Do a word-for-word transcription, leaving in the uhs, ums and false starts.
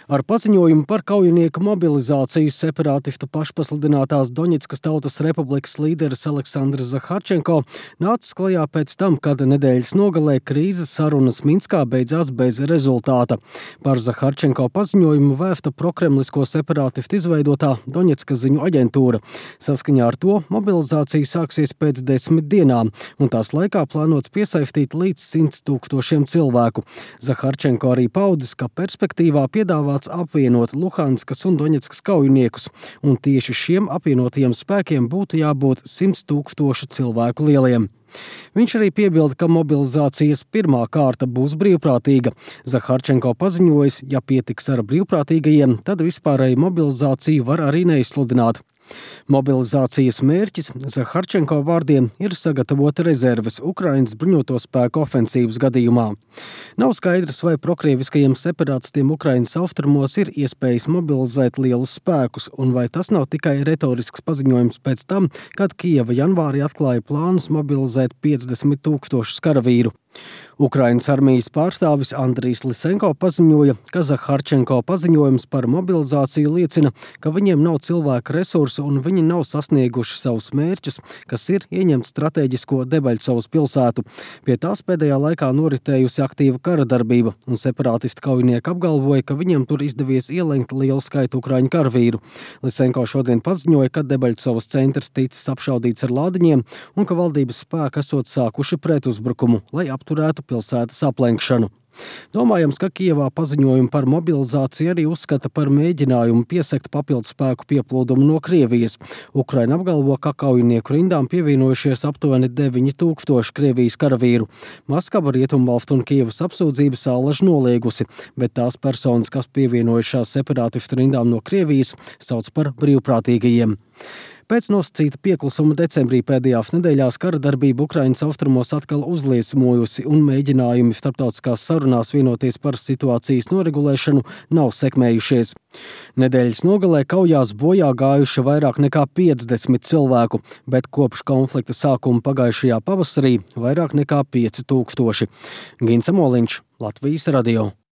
Ar paziņojumu par kaujinieku mobilizāciju separātistu pašpasludinātās Doņetskas Tautas Republikas līderis Aleksandrs Zaharčenko nācis klajā pēc tam, kad nedēļas nogalē krīzes sarunas Minskā beidzās bez rezultāta. Par Zaharčenko paziņojumu vēsta prokremlisko separātistu izveidotā Doņetskas ziņu aģentūra. Saskaņā ar to mobilizācija sāksies pēc desmit dienām, un tās laikā plānots piesaistīt līdz simts tūkstošiem cilvēku. Zaharčenko arī paudis, ka perspektīvā piedāvāts apvienot Luhanskas un Doņetskas kaujiniekus, un tieši šiem apvienotajiem spēkiem būtu jābūt simts tūkstošu cilvēku lieliem. Viņš arī piebilda, ka mobilizācijas pirmā kārta būs brīvprātīga. Zaharčenko paziņojis, ja pietiks ar brīvprātīgajiem, tad vispārēju mobilizāciju var arī neizsludināt. Mobilizācijas mērķis Zaharčenko vārdiem ir sagatavot rezerves Ukrainas bruņoto spēku ofensīvas gadījumā. Nav skaidrs, vai prokrieviskajiem separātistiem Ukrainas austrumos ir iespējas mobilizēt lielus spēkus, un vai tas nav tikai retorisks paziņojums pēc tam, kad Kijeva janvārī atklāja plānus mobilizēt piecdesmit tūkstošus karavīru. Ukrainas armijas pārstāvis Andrijs Lisenko paziņoja, ka Zaharčenko paziņojums par mobilizāciju liecina, ka viņiem nav cilvēka resursu un viņi nav sasnieguši savus mērķus, kas ir ieņemt strateģisko Debaļcovas pilsētu. Pie tās pēdējā laikā noritējusi aktīva kara darbība, un separātistu kaujinieki apgalvoja, ka viņiem tur izdevies ielenkt lielu skaitu ukraiņu karavīru. Lisenko šodien paziņoja, ka Debaļcovas centrs ticis apšaudīts ar lādiņiem un ka valdības spēki esot sākuši pretuzbrukumu, lai apturētu pilsētas aplenkšanu. Domājams, ka Kijevā paziņojumu par mobilizāciju arī uzskata par mēģinājumu piesekt papildu spēku pieplūdumu no Krievijas. Ukraina apgalvo, ka kaujinieku rindām pievienojušies aptuveni deviņi tūkstoši Krievijas karavīru. Maskava, Rietumvalstu un Kijevas apsūdzības allaž noliegusi, bet tās personas, kas pievienojušās separātistu rindām no Krievijas, sauc par brīvprātīgajiem. Pēc nosacīta pieklusuma decembrī pēdējās nedēļās kara darbība Ukrainas austrumos atkal uzliesmojusi un mēģinājumi starptautiskās sarunās vienoties par situācijas noregulēšanu nav sekmējušies. Nedēļas nogalē kaujās bojā gājuši vairāk nekā piecdesmit cilvēku, bet kopš konflikta sākuma pagājušajā pavasarī vairāk nekā pieci tūkstoši. Gins Amoliņš, Latvijas radio.